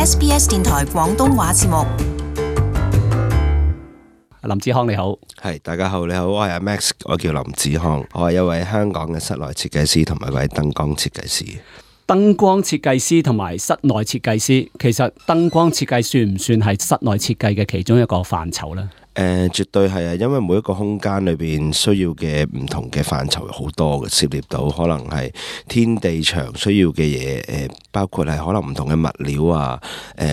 SBS 電台廣東話節目。林子康你好。係，大家好，你好，我係阿 Max， 我叫林子康，我係一位香港嘅室內設計師同埋一位燈光設計師。燈光設計師同埋室內設計師，其實燈光設計算唔算係室內設計嘅其中一個範疇呢？絕對係啊，因為每一個空間裏邊需要嘅唔同嘅範疇好多嘅，涉獵到可能係天地牆需要嘅嘢，包括係可能唔同嘅物料啊，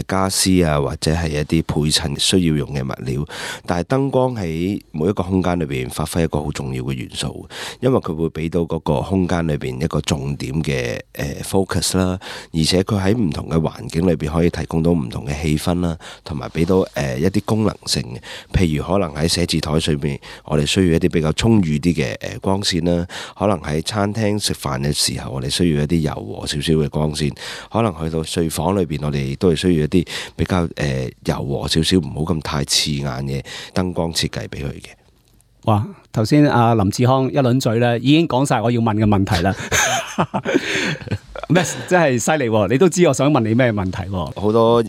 家私啊，或者係一啲配襯需要用嘅物料。但係燈光喺每一個空間裏邊發揮一個好重要嘅元素，因為佢會俾到嗰個空間裏邊一個重點嘅focus 啦，而且佢喺唔同嘅環境裏邊可以提供到唔同嘅氣氛啦，同埋俾到一啲功能性嘅，譬如可能喺寫字台上面，我哋需要一啲比較充裕啲嘅光線啦；可能喺餐廳食飯嘅時候，我哋需要一啲柔和少少嘅光線；可能去到睡房裏邊，我哋都係需要一啲比較柔和少少，唔好咁太刺眼嘅燈光設計俾佢嘅。哇！頭先阿林子康一輪嘴咧，已經講晒我要問嘅問題啦。咩真係犀利喎！你都知我想問你咩問題喎？好多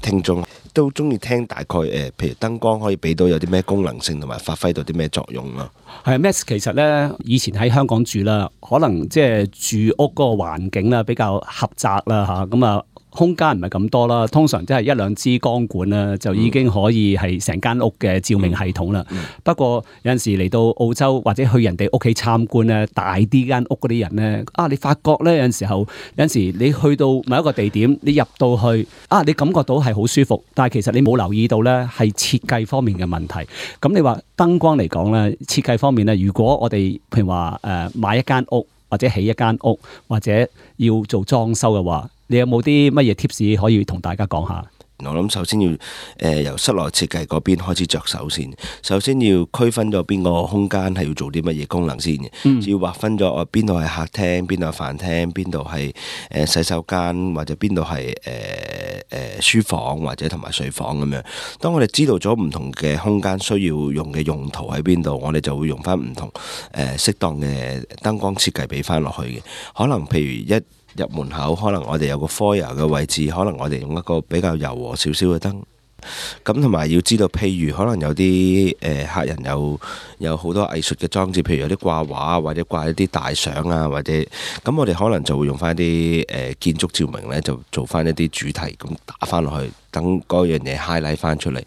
聽眾都中意聽大概譬如燈光可以俾到有啲咩功能性，同埋發揮到啲咩作用咯。係Max，其實咧以前喺香港住啦，可能即係住屋嗰個環境啦比較狹窄啦嚇，咁啊空間唔係咁多啦，通常即係一兩支光管啦，就已經可以係成間屋嘅照明系統啦。不過有陣時嚟到澳洲或者去人哋屋企參觀咧，大啲間屋嗰啲人咧，你發覺咧有陣時你去到某一個地點，你入到去你感覺到係好舒服，但係其實你冇留意到咧係設計方面嘅問題。咁你話燈光嚟講咧，設計方面咧，如果我哋譬如話買一間屋或者起一間屋或者要做裝修嘅話，你有冇啲乜嘢 tips 可以同大家講下？我諗首先要由室內設計嗰邊開始着手先。首先要區分咗邊個空間係要做啲乜嘢功能先嘅，要劃分咗邊度係客廳，邊度係飯廳，邊度係洗手間，或者邊度係書房或者同埋睡房咁樣。當我哋知道咗唔同嘅空間需要用嘅用途喺邊度，我哋就會用翻唔同適當嘅燈光設計俾翻落去嘅。可能譬如一入門口，可能我哋有個 foyer 嘅位置，可能我哋用一個比較柔和少少嘅燈。咁同埋要知道，譬如可能有啲客人有好多藝術嘅裝置，譬如有啲掛畫或者掛一啲大相啊，或者咁我哋可能就會用翻啲建築照明呢，就做翻一啲主題咁打翻落去，等嗰樣嘢 highlight 翻出嚟。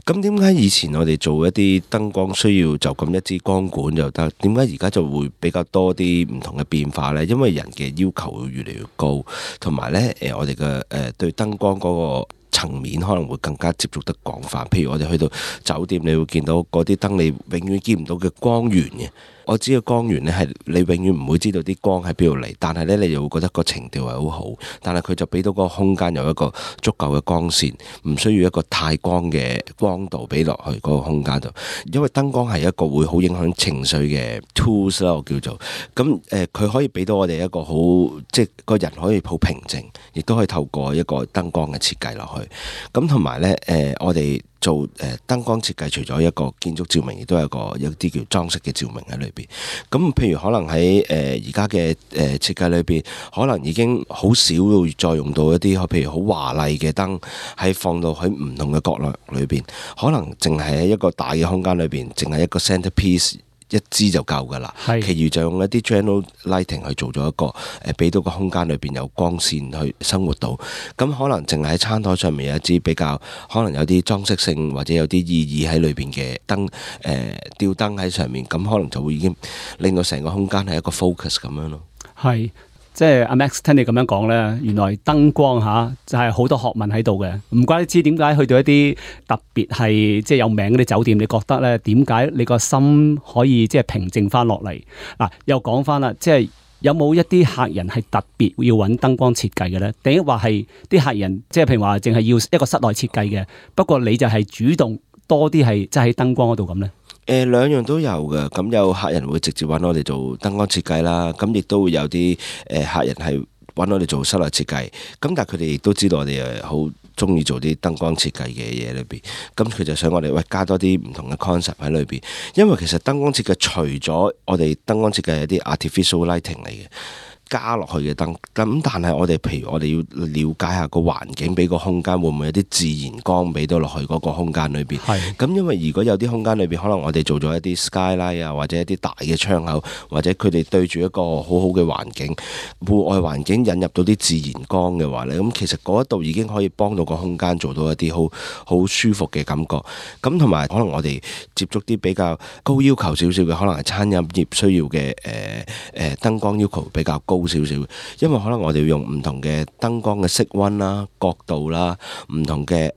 咁點解以前我哋做一啲燈光需要就咁一支光管就得？點解而家就會比較多啲唔同嘅變化呢？因為人嘅要求會越嚟越高，同埋呢我哋嘅對燈光嗰個層面可能會更加接觸得廣泛。譬如我哋去到酒店，你會見到嗰啲燈你永遠見唔到嘅光源嘅。我知嘅光源呢係你永遠唔會知道啲光喺邊度嚟，但係呢，你又會覺得個情調係好好，但係佢就俾到個空間有一個足夠嘅光線，唔需要一個太光嘅光度俾落去嗰個空間度。因為燈光係一個會好影響情緒嘅 tools 啦，我叫做咁佢可以俾到我哋一個好，即係個人可以好平靜，亦都可以透過一個燈光嘅設計落去。咁同埋呢，我哋做燈光設計，除咗一個建築照明，亦都有一啲叫裝飾嘅照明喺裏邊。咁譬如可能喺而家嘅設計裏邊，可能已經好少會再用到一啲譬如好華麗嘅燈，係放到喺唔同嘅角落裏邊。可能淨係喺一個大嘅空間裏邊，淨係一個 centerpiece。一支就夠㗎啦，其餘就用一啲 general lighting 去做咗一個俾到個空間裏邊有光線去生活到。咁可能淨係喺餐台上面有一支比較可能有啲裝飾性或者有啲意義喺裏邊嘅燈，吊燈喺上面，咁可能就會已經令到成個空間係一個 focus 咁樣咯。係。即係阿 Max 聽你咁樣講咧，原來燈光就係好多學問喺度嘅。唔怪得知點解去到一啲特別係即係有名嗰啲酒店，你覺得咧點解你個心可以即係平靜翻落嚟？嗱，又講翻啦，即係有冇一啲客人係特別要揾燈光設計嘅咧？定話係啲客人即係譬如話淨係要一個室內設計嘅，不過你就係主動多啲係即係喺燈光嗰度咁咧？兩樣都有嘅，咁有客人會直接揾我哋做燈光設計啦，咁亦都會有啲客人係揾我哋做室內設計，咁但係佢哋亦都知道我哋好中意做啲燈光設計嘅嘢裏邊，咁佢就想我哋加多啲唔同嘅 concept 喺裏邊，因為其實燈光設計除咗我哋燈光設計係啲 artificial lighting 嚟嘅。加落去嘅燈。咁但係我哋譬如我哋要了解下個環境，俾個空間會唔會有啲自然光俾到落去嗰個空間裏邊。咁因為如果有啲空間裏邊可能我哋做咗一啲 skylight 啊，或者一啲大嘅窗口，或者佢哋對住一個好好嘅環境，戶外環境引入到啲自然光嘅話咧，咁其實嗰一度已經可以幫到個空間做到一啲好舒服嘅感覺。咁同埋可能我哋接觸啲比較高要求少少嘅，可能係餐飲業需要嘅燈光要求比較高少少，因為可能我哋要用唔同嘅燈光嘅色溫啦、角度啦、唔同嘅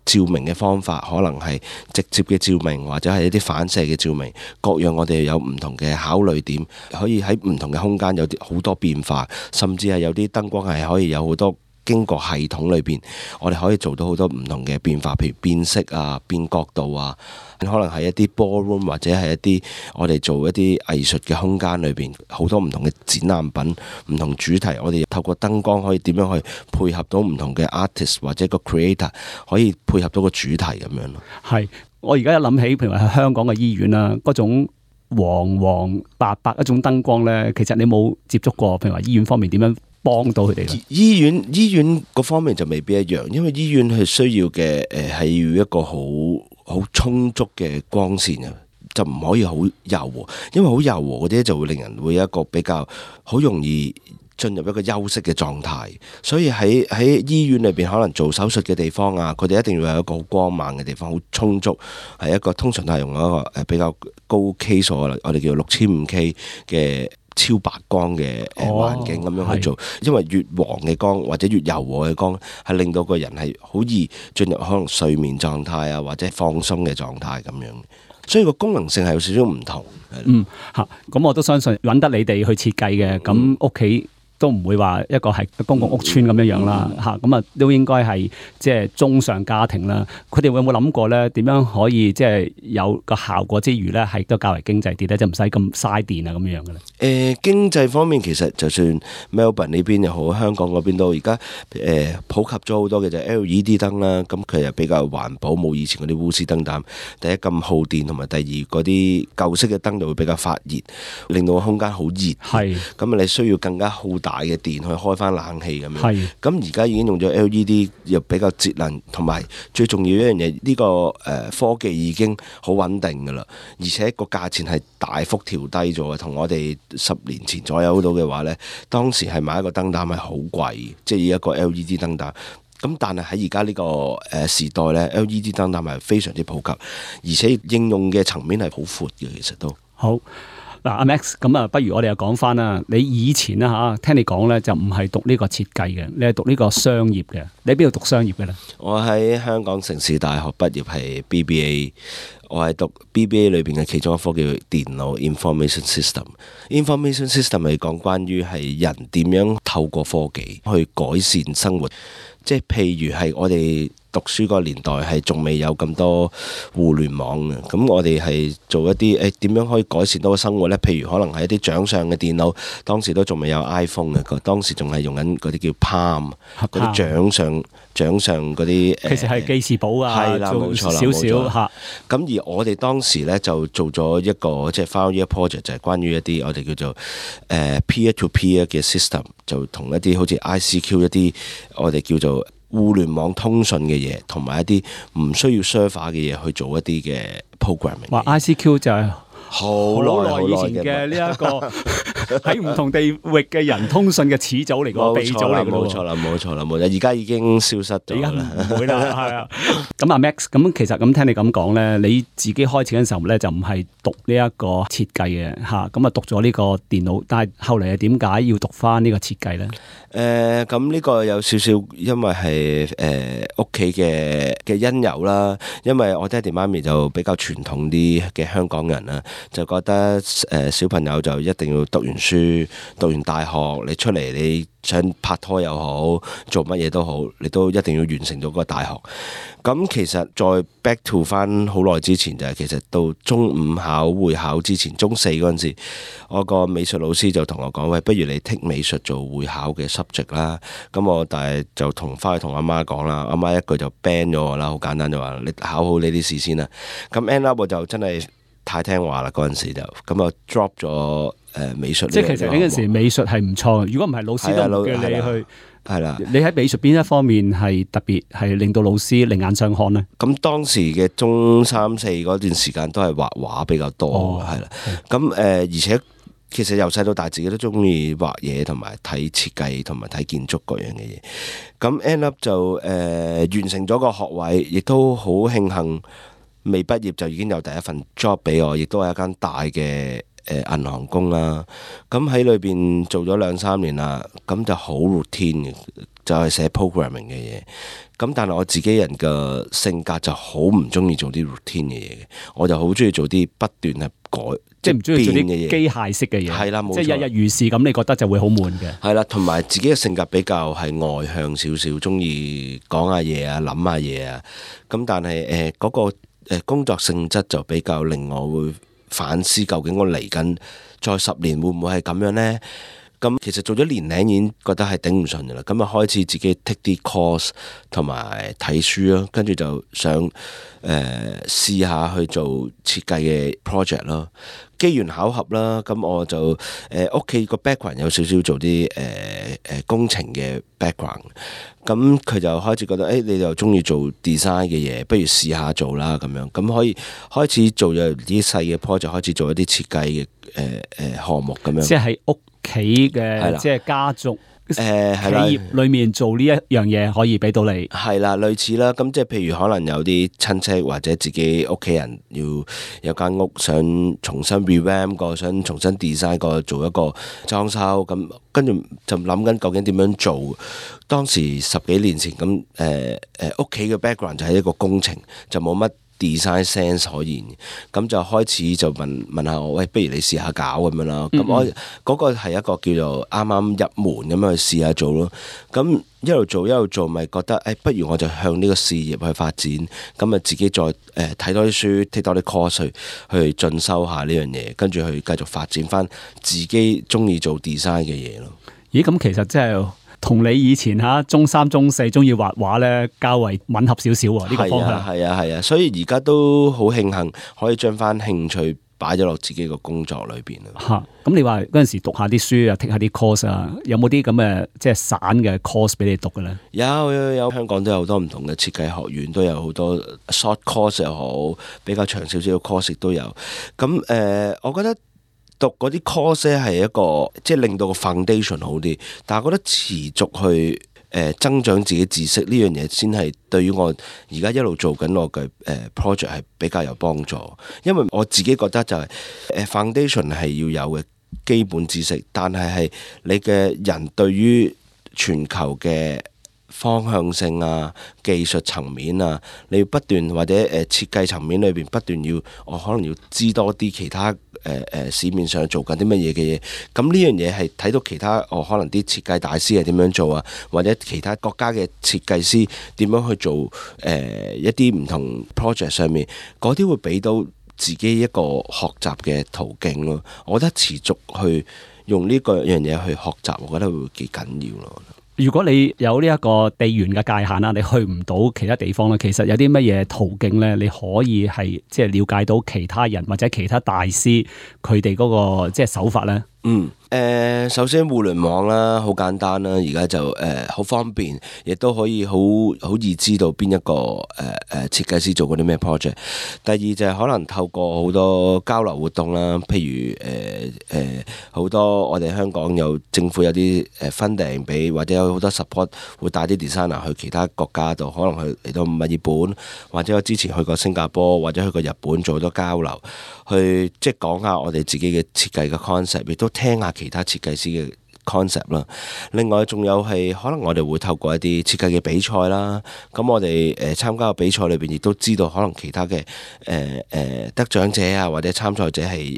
照明嘅方法，可能係直接嘅照明或者係一啲反射嘅照明，各樣我哋有唔同嘅考慮點，可以喺唔同嘅空間有啲好多變化，甚至係有啲燈光係可以有好多經過系統裏邊，我哋可以做到好多唔同嘅變化，譬如變色啊、變角度啊，可能係一啲 ballroom 或者係一啲我哋做一啲藝術嘅空間裏邊，好多唔同嘅展覽品、唔同主題，我哋透過燈光可以點樣去配合到唔同嘅 artist 或者個 creator 可以配合到個主題咁樣咯。係，我而家一諗起，譬如話香港嘅醫院啦，嗰種黃黃白白一種燈光咧，其實你冇接觸過，譬如話醫院方面點樣幫到佢哋咧？醫院嗰方面就未必一樣，因為醫院係需要嘅係要一個好充足嘅光線啊，就唔可以好柔和，因為好柔和嗰啲就會令人會有一個比較好容易進入一個休息嘅狀態，所以喺醫院裏邊可能做手術嘅地方啊，佢哋一定要有一個好光猛嘅地方，好充足，係一個通常都係用一個比較高 K 數，我哋叫6500嘅超白光嘅環境咁樣去做，因為越黃嘅光或者越柔和嘅光係令到個人係好易進入可能睡眠狀態啊，或者放鬆嘅狀態咁樣，所以個功能性係有少少唔同。咁我都相信揾得你哋去設計嘅，咁屋企都唔會話一個係公共屋邨咁樣啦，咁啊都應該係即係中上家庭啦。佢哋會有冇諗過咧？點樣可以即係有個效果之餘咧，係都較為經濟啲咧，就唔使咁嘥電啊咁樣嘅咧？經濟方面其實就算 Melbourne 呢邊又好，香港嗰邊都而家普及咗好多嘅就 LED 燈啦。咁佢又比較環保，冇以前嗰啲鎢絲燈膽。第一咁耗電，同埋第二嗰啲舊式嘅燈就會比較發熱，令到個空間好熱。係咁你需要更加耗大嘅電去開翻冷氣咁樣，咁而家已經用咗 LED， 又比較節能，同埋最重要一樣嘢，呢個科技已經好穩定噶啦，而且個價錢係大幅調低咗嘅，同我哋10年前左右到嘅話呢，當時係買一個燈膽係好貴，即係一個 LED 燈膽。咁但係喺而家呢個時代呢，LED 燈膽係非常之普及，而且應用嘅層面係好闊嘅，其實都好。嗱，阿 Max，咁啊，不如我哋又講翻啦。你以前啦嚇，聽你講咧就唔係讀呢個設計嘅，你係讀呢個商業嘅。你喺邊度讀商業嘅咧？我喺香港城市大學畢業係 BBA， 我係讀 BBA 裏邊嘅其中一科叫電腦 Information System。Information System 係講關於係人點樣透過科技去改善生活，即係譬如係我哋讀書個年代係仲未有咁多互聯網嘅，咁我哋係做一啲點樣可以改善到個生活呢？譬如可能係一啲掌上嘅電腦，當時都仲未有 iPhone 嘅，當時仲係用緊嗰啲叫 Palm 嗰啲掌上嗰啲其實係記事簿啊，係啦，冇錯啦，少少嚇。咁而我哋當時呢，就做咗一個即係 final year project，就係關於一啲我哋叫做peer to peer 嘅 system， 就同一啲好似 ICQ 一啲我哋叫做互聯網通訊嘅嘢，同埋一啲唔需要 server 嘅嘢去做一啲嘅 programming。話 ICQ 就係好耐以前嘅呢一個喺唔同地域嘅人通訊嘅始祖嚟嘅，鼻祖嚟嘅。冇錯啦，而家已經消失咗啦，唔會啦，係啊。咁阿 Max，咁其實咁聽你咁講咧，你自己開始嘅時候咧就唔係讀呢一個設計嘅嚇，咁啊讀咗呢個電腦，但係後嚟係點解要讀翻呢個設計咧？咁呢個有少少因為係屋企嘅因由啦，因為我爹哋媽咪就比較傳統啲嘅香港人啦，就覺得小朋友就一定要讀完書，讀完大學，你出嚟你想拍拖又好，做乜嘢都好，你都一定要完成咗個大學。咁其實再 back to 翻好耐之前就係其實到中五考會考之前，中4嗰陣時，我個美術老師就同我講：喂，不如你剔美術做會考嘅 subject 啦。咁我但係就翻去同阿媽講啦，阿媽一句就 ban 咗我啦，好簡單就話你考好呢啲試先啦。咁 end up 我就真係太聽話啦，嗰陣時就咁啊 drop 咗美術。即係其實呢陣時美術係唔錯，如果唔係老師都唔叫你去。係啦，你喺美術邊一方面係特別係令到老師另眼相看呢？咁當時嘅中三四嗰段時間都係畫畫比較多，係啦。咁而且其實由細到大自己都中意畫嘢，同埋睇設計，同埋睇建築各樣嘅嘢。咁 end up 就完成咗個學位，亦都好慶幸未畢業就已經有第一份 job 俾我，亦都係一間大嘅銀行工啦。咁喺裏邊做咗2-3年啦，咁就好 routine 嘅，就係寫 programming 嘅嘢。咁但係我自己人嘅性格就好唔中意做啲 routine 嘅嘢嘅，我就好中意做啲不斷係改，即係唔中意做啲機械式嘅嘢。係啦，冇錯，即係日日如是咁，你覺得就會好悶嘅。係啦，同埋自己嘅性格比較係外向少少，中意講下嘢啊，諗下嘢啊。咁但係嗰個工作性質就比較令我會反思，究竟我嚟緊再10年會唔會係咁樣呢？咁其實做咗年零已經覺得係頂唔順嘅啦，咁啊開始自己 take 啲 course 同埋睇書咯，跟住就想試下去做設計嘅 project 咯。機緣巧合啦，咁我就屋企個 background 有少少做啲工程嘅 background，咁佢就開始覺得你就中意做 design 嘅嘢，不如試下做啦咁樣，咁可以開始做咗啲細嘅 project，開始做一啲設計嘅項目咁樣。即係喺屋企嘅，即係家族企業裏面做呢一樣嘢，可以俾到你。係啦，類似啦。咁即係譬如可能有啲親戚或者自己屋企人要有間屋想重新 revamp 過，想重新 design 過，做一個裝修。咁跟住就諗緊究竟點樣做。當時10幾年前咁屋企嘅 background 就係一個工程，就冇乜design sense 可言，咁就開始就問下我，喂，不如你試下搞咁樣啦。咁我嗰個係一個叫做啱啱入門咁樣去試下做咯。咁一路做，咪覺得不如我就向呢個事業去發展。咁啊自己再睇多啲書，take 多啲 course 去進修下呢樣嘢，跟住去繼續發展翻自己中意做 design 嘅嘢咯。咦？咁其實真係〜同你以前中3、中4中意畫畫咧，較為吻合少少喎，呢個方向。係啊，所以而家都好慶幸可以將翻興趣擺咗落自己個工作裏邊啦。咁你話嗰陣時讀下啲書啊，take下啲 course 啊，有冇啲咁嘅即係散嘅 course 俾你讀嘅咧？有，香港都有好多唔同嘅設計學院，都有好多 short course 又好，比較長少少嘅 course 都有。咁我覺得讀嗰啲 course 係一個即係令到個 foundation 好啲，但係我覺得持續去增長自己知識呢樣嘢先係對於我而家一路做緊我嘅project 係比較有幫助，因為我自己覺得就係foundation 係要有嘅基本知識，但係你嘅人對於全球嘅方向性啊、技術層面啊，你要不斷或者設計層面裏邊不斷我可能要知多啲其他市面上做緊啲乜嘢嘅嘢。咁呢樣嘢係睇到其他可能啲設計大師係點樣做啊，或者其他國家嘅設計師點樣去做一啲唔同 project 上面，嗰啲會俾到自己一個學習嘅途徑咯。我覺得持續去用呢個樣嘢去學習，我覺得會幾緊要咯。如果你有呢一個地緣嘅界限啦，你去唔到其他地方咧，其實有啲乜嘢途徑咧，你可以係即係了解到其他人或者其他大師佢哋嗰個即係手法咧？首先互聯網啦，好簡單啦，而家就好方便，亦都可以好易知道邊一個設計師做過啲咩 project。第二就係可能透過好多交流活動啦，譬如好多我哋香港有政府有啲funding俾，或者有好多 support 會帶啲 designer 去其他國家度，可能去嚟到墨爾本，或者我之前去過新加坡，或者去過日本做好多交流，去即係講下我哋自己嘅設計嘅 concept，亦都聽下其他設計師嘅 concept 啦。另外仲有係可能我哋會透過一啲設計嘅比賽啦，咁我哋參加嘅比賽裏邊亦都知道可能其他嘅得獎者啊或者參賽者係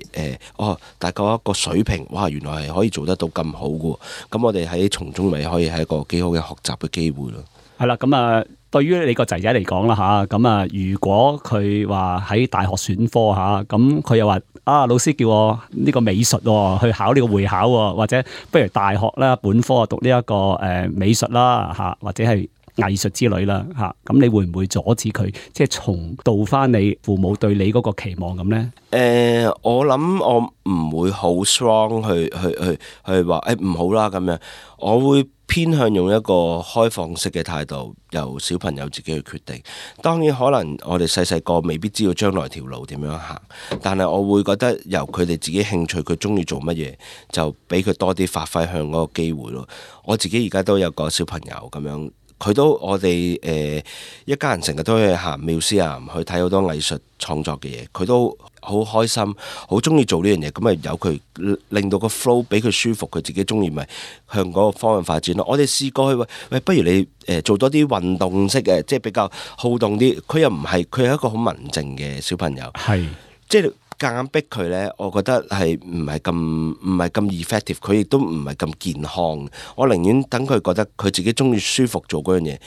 大概一個水平，哇原來係可以做得到咁好嘅，咁我哋喺從中咪可以係一個幾好嘅學習嘅機會咯。係啦，咁啊對於你個仔仔嚟講啦嚇，咁啊如果佢話喺大學選科嚇，咁佢又話老師叫我呢個美術去考呢個會考，或者不如大學啦本科讀呢一個美術啦嚇，或者係藝術之類啦嚇。咁你會唔會阻止佢即係重蹈翻你父母對你嗰個期望咁咧？我諗我唔會好 strong 去話唔好啦咁樣，我會偏向用一個開放式嘅態度，由小朋友自己去決定。當然可能我哋細細個未必知道將來條路點樣行，但係我會覺得由佢哋自己興趣，佢中意做乜嘢，就俾佢多啲發揮向嗰個機會咯。我自己而家都有個小朋友咁樣。我哋一家人成日都去行museum去睇好多藝術創作嘅嘢，佢都好開心，好中意做呢樣嘢。咁咪由佢令到個 flow 俾佢舒服，佢自己中意咪向嗰個方向發展咯。我哋試過去喂，不如你做多啲運動式嘅，即係比較好動啲。佢又唔係，佢係一個好文靜嘅小朋友，係即係夾硬逼佢呢，我覺得係唔係咁 effective， 佢亦都唔係咁健康。我寧願等佢覺得佢自己中意舒服做嗰樣嘢。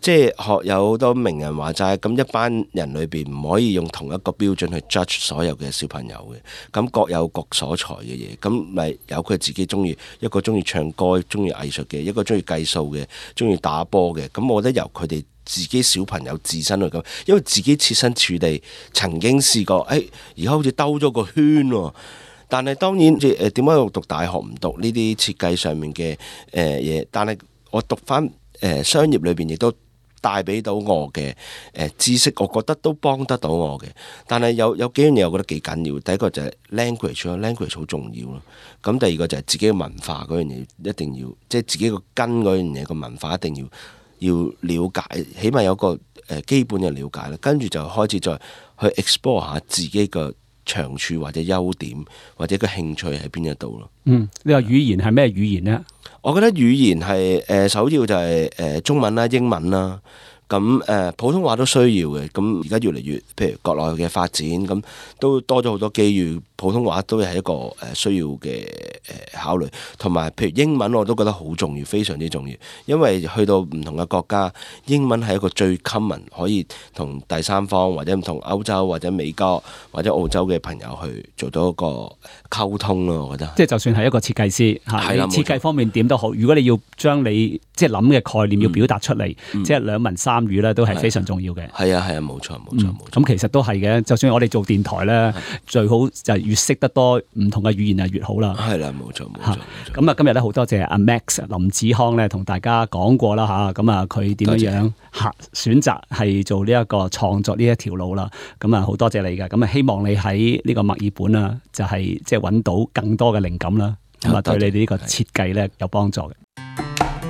即係學有好多名人話齋，咁一班人裏邊唔可以用同一個標準去 judge 所有嘅小朋友嘅。咁各有各所才嘅嘢，咁咪由佢自己中意。一個中意唱歌、中意藝術嘅，一個中意計數嘅，中意打波嘅。咁我覺得由佢哋自己小朋友自身去咁，因為自己設身處地曾經試過，而家好似兜咗個圈喎。但係當然，點解我讀大學唔讀呢啲設計上面嘅嘢？但係我讀翻商業裏邊亦都帶俾到我嘅知識，我覺得都幫得到我嘅。但係有幾樣嘢，我覺得幾緊要。第一個就係 language 好重要咯。咁第二個就係自己嘅文化嗰樣嘢，一定要即係自己個根嗰樣嘢個文化一定要了解，起碼有個基本嘅了解啦。跟住就開始再去 explore 下自己嘅長處或者優點或者個興趣喺邊一度咯。你話語言係咩語言呢？我覺得語言係首要就係中文啦、英文啦。咁普通話都需要嘅。咁而家越嚟越，譬如國內嘅發展，咁都多咗好多機遇。普通話都係一個需要嘅考慮，同埋譬如英文我都覺得好重要，非常之重要。因為去到唔同嘅國家，英文係一個最 common 可以同第三方或者唔同歐洲或者美國或者澳洲嘅朋友去做到一個溝通咯。我覺得即係就算係一個設計師嚇，設計方面點都好，如果你要將你即係諗嘅概念要表達出嚟，即係兩文三語咧，都係非常重要嘅。係啊，冇錯。咁其實都係嘅。就算我哋做電台咧，最好就越識得多唔同嘅語言就越好啦。係啦，冇錯。咁啊，今日咧好多謝阿 Max 林子康咧，同大家講過啦嚇。咁啊，佢點樣選擇係做呢一個創作呢一條路啦。咁啊，好多謝你嘅。咁啊，希望你喺呢個墨爾本啊，就係即係揾到更多嘅靈感啦。咁啊，對你哋呢個設計咧有幫助嘅。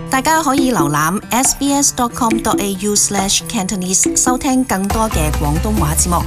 大家可以瀏覽 sbs.com.au/Cantonese 收聽更多嘅廣東話節目。